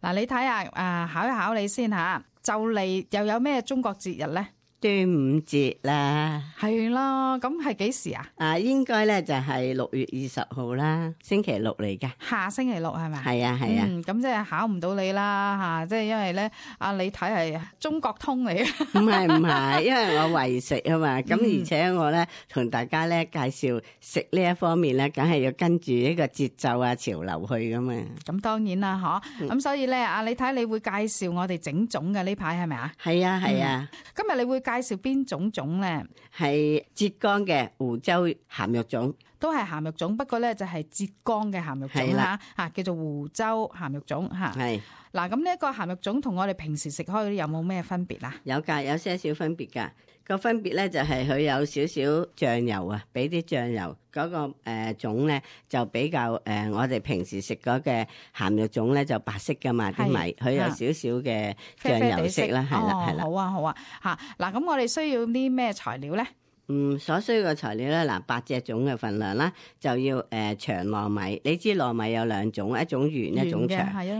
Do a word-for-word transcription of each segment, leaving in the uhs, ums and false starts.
嗱，你睇下啊，考一考你先吓，就嚟又有咩中國節日咧？端午節啦，係啦，咁係幾時啊？啊，應該咧就係六月二十號啦，星期六嚟嘅。下星期六係咪？係啊係啊，嗯，咁即係考唔到你啦吓，即係因為咧，啊你睇係中國通嚟嘅。唔係唔係，因為我為食啊嘛，咁、嗯、而且我咧同大家咧介紹食呢一方面咧，梗係要跟住呢個節奏啊潮流去噶嘛。咁當然啦，嗬，咁、嗯、所以咧，啊你睇你會介紹我哋整粽嘅呢排係咪啊？係啊係啊，今日你會介紹邊種粽咧？係浙江嘅湖州鹹肉粽，都係鹹肉粽，不過咧就係浙江嘅鹹肉粽啦，吓叫做湖州鹹肉粽吓。係嗱，咁呢一個鹹肉粽同我哋平時食開嗰啲有冇咩分別啊？有噶，有些少分別噶。個分別咧就係佢有少少醬油啊，俾啲醬油嗰、那個誒粽咧就比較誒、呃，我哋平時食嗰嘅鹹肉粽咧就白色噶嘛啲米，佢有少少嘅醬油色啦，係啦係啦。好啊好啊吓，嗱咁我哋需要啲咩材料咧？嗯，所需嘅材料咧，嗱八隻粽嘅份量啦，就要誒、呃、長糯米。你知糯米有兩種，一種圓，一種長。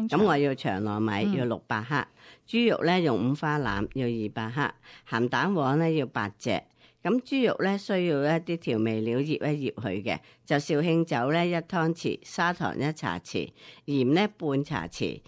咁我要長糯米，嗯、要六百克。豬肉咧用五花腩，要二百克。鹹蛋黃咧要八隻。咁豬肉咧需要一啲調味料醃一醃佢嘅，就紹興酒咧一湯匙，砂糖一茶匙，鹽咧半茶匙，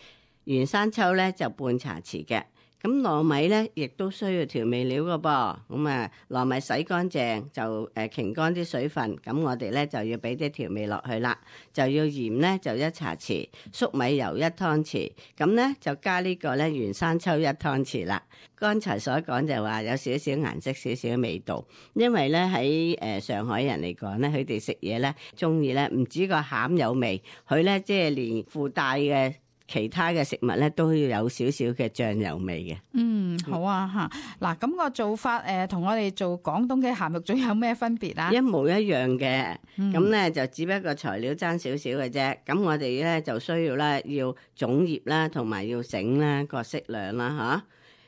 原生抽咧就半茶匙嘅。咁糯米咧，亦都需要調味料㗎噃。咁啊，糯米洗乾淨就誒擎乾啲水分。咁我哋咧就要俾啲調味落去啦。就要鹽咧就一茶匙，粟米油一湯匙。咁咧就加呢個咧原生抽一湯匙啦。剛才所講就話有少少顏色、少少味道。因為咧喺誒上海人嚟講咧，佢哋食嘢咧中意咧唔止個餡有味，佢咧即係連附帶嘅。其他嘅食物咧都要有少少嘅醬油味嘅。嗯，好啊吓。嗱，咁個做法誒，同、呃、我哋做廣東嘅鹹肉粽有咩分別啊？一模一樣嘅。咁咧、嗯、就只不過材料爭少少嘅啫。咁我哋咧就需要咧要粽葉啦，同埋要繩啦，各適量啦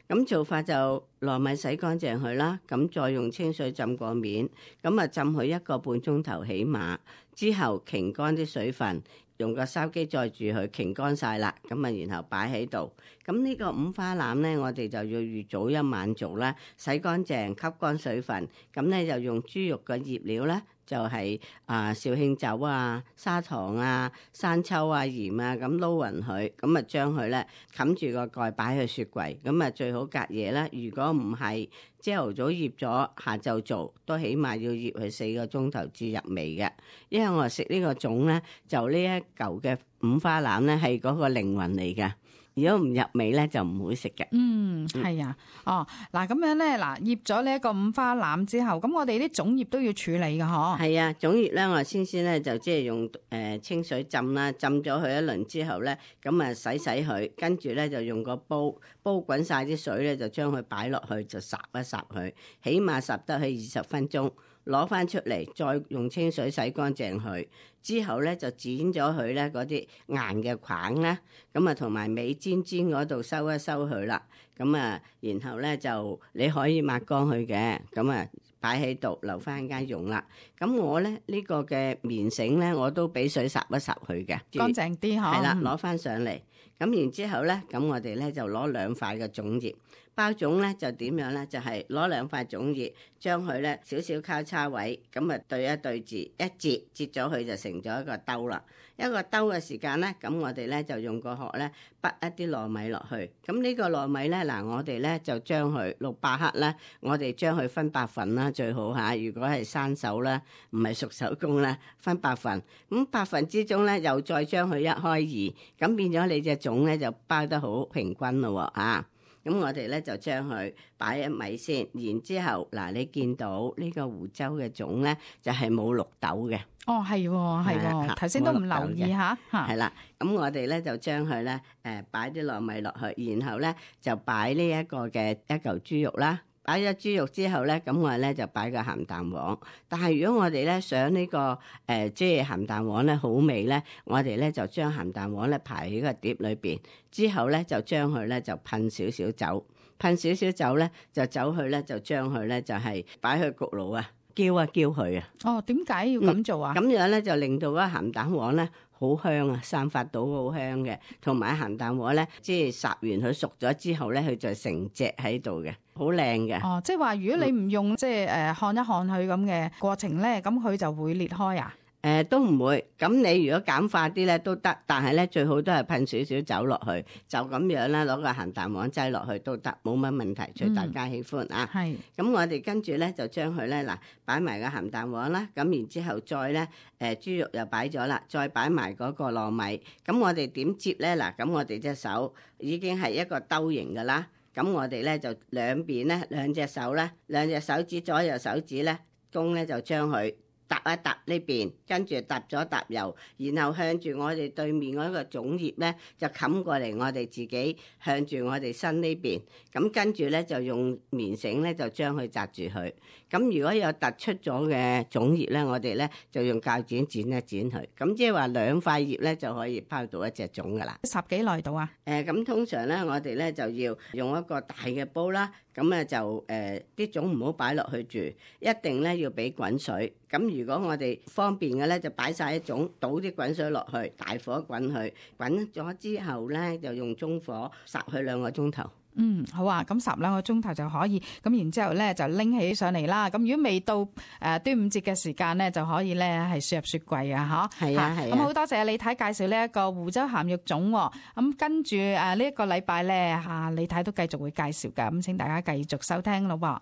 吓。咁做法就糯米洗乾淨佢啦，咁再用清水浸過面，咁啊浸佢一個半鐘頭起碼，之後擎乾啲水分。用個筲箕載住佢，擎乾晒啦，咁啊，然後擺喺度。咁呢個五花腩咧，我哋就要預早一晚做啦，洗乾淨，吸乾水分。咁咧就用豬肉嘅醃料咧，就係、是、啊紹興酒啊、砂糖啊、生抽啊、鹽啊，咁撈勻佢，咁啊將佢咧冚住個蓋擺去雪櫃。咁啊最好隔夜啦。如果唔係朝頭早醃咗，下晝做都起碼要醃佢四個鐘頭至入味嘅。因為我食呢個粽咧，就呢一嚿嘅五花腩咧係嗰個靈魂嚟嘅。如果唔入味咧，就唔會食嘅。嗯，係啊。哦，嗱咁樣咧，嗱醃咗呢一個五花腩之後，咁我哋啲粽葉都要處理嘅，嗬。係啊，粽葉咧，我先先咧就即係用誒、呃、清水浸啦，浸咗佢一輪之後咧，咁啊洗洗佢，跟住咧就用個煲煲滾晒啲水咧，就將佢擺落去就烚一烚佢，起碼烚得去二十分鐘。攞翻出嚟，再用清水洗乾淨佢，之後咧就剪咗佢咧嗰啲硬嘅梗啦，咁啊同埋尾尖尖嗰度收一收佢啦，咁啊然後咧就你可以抹乾佢嘅，咁啊擺喺度留翻間用啦。咁我咧呢個嘅棉繩咧，我都俾水烚一烚佢嘅，乾淨啲嗬。係啦，攞翻上嚟，咁然之後咧，咁我哋咧就攞兩塊嘅粽葉。包粽咧就點樣咧？就係攞兩塊粽葉，將佢咧少少交叉位，咁啊對一對字，一折折咗佢就成咗一個兜啦。一個兜嘅時間咧，咁我哋咧就用個殼咧滗一啲糯米落去。咁呢個糯米咧，嗱我哋咧就將佢六百克咧，我哋將佢分八份啦，最好嚇。如果係生手啦，唔係熟手工啦，分八份。咁八份之中咧，又再將佢一開二，咁變咗你隻粽咧就包得好平均咯嚇。咁我哋咧就將佢擺一米先，然之後嗱，你見到呢個湖州嘅粽咧就係冇綠豆嘅。哦，係喎，係喎，頭先都唔留意吓。係啦，咁我哋咧就將佢咧誒擺啲糯米落去，然後咧就擺呢一個嘅一嚿豬肉啦。擺咗豬肉之後咧，咁我哋咧就擺個鹹蛋黃。但係如果我哋咧想呢、這個誒、呃、即係鹹蛋黃咧好味咧，我哋咧就將鹹蛋黃咧排喺個碟裏邊，之後咧就將佢咧就噴少少酒，噴少少酒咧就走去咧就將佢咧就係擺去焗爐啊。叫啊叫佢啊。哦，點解要咁做啊？咁、嗯、樣咧就令到嗰個鹹蛋黃咧好香啊，散發到好香嘅。同埋鹹蛋黃咧，即係烚完佢熟咗之後咧，佢就成隻喺度嘅，好靚嘅。哦，即係話如果你唔用、嗯、即係誒看一看佢咁嘅過程咧，咁佢就會裂開啊？誒、呃、都唔會，咁你如果簡化啲咧都得，但係咧最好都係噴少少酒落去，就咁樣咧攞個鹹蛋黃擠落去都得，冇乜問題，隨大家喜歡、嗯、啊。係。咁我哋跟住咧就將佢咧嗱擺埋個鹹蛋黃啦，咁然之後再咧誒、呃、豬肉又擺咗啦，再擺埋嗰個糯米，咁我哋點接咧嗱？咁我哋隻手已經係一個兜形㗎啦，咁我哋咧就兩邊咧兩隻手咧兩隻手指左右手指咧公咧就將佢搭一搭呢邊，跟住搭咗搭油，然後向住我哋對面嗰個粽葉咧，就冚過嚟我哋自己向住我哋身呢邊。咁跟住咧就用棉繩咧就將佢紮住佢。咁如果有突出咗嘅粽葉咧，我哋咧就用鉸剪剪一剪佢。咁即係話兩塊葉咧就可以拋到一隻粽噶啦。十幾耐到啊？誒、呃，咁通常咧我哋咧就要用一個大嘅煲啦。咁咧就誒啲粽唔好擺落去住，一定咧要俾滾水。咁如果我哋方便嘅咧，就擺晒啲粽，倒啲滾水落去，大火滾佢，滾咗之後咧就用中火烚佢兩個鐘頭。嗯，好啊，咁烚兩個鐘頭就可以，咁然之後咧就拎起上嚟啦。咁如果未到誒端午節嘅時間咧，就可以咧係輸入雪櫃啊，嚇。係啊，係啊。咁好多謝李太介紹呢一個湖州鹹肉粽喎。咁跟住誒呢一個禮拜咧嚇，李太都繼續會介紹㗎。咁請大家繼續收聽咯喎。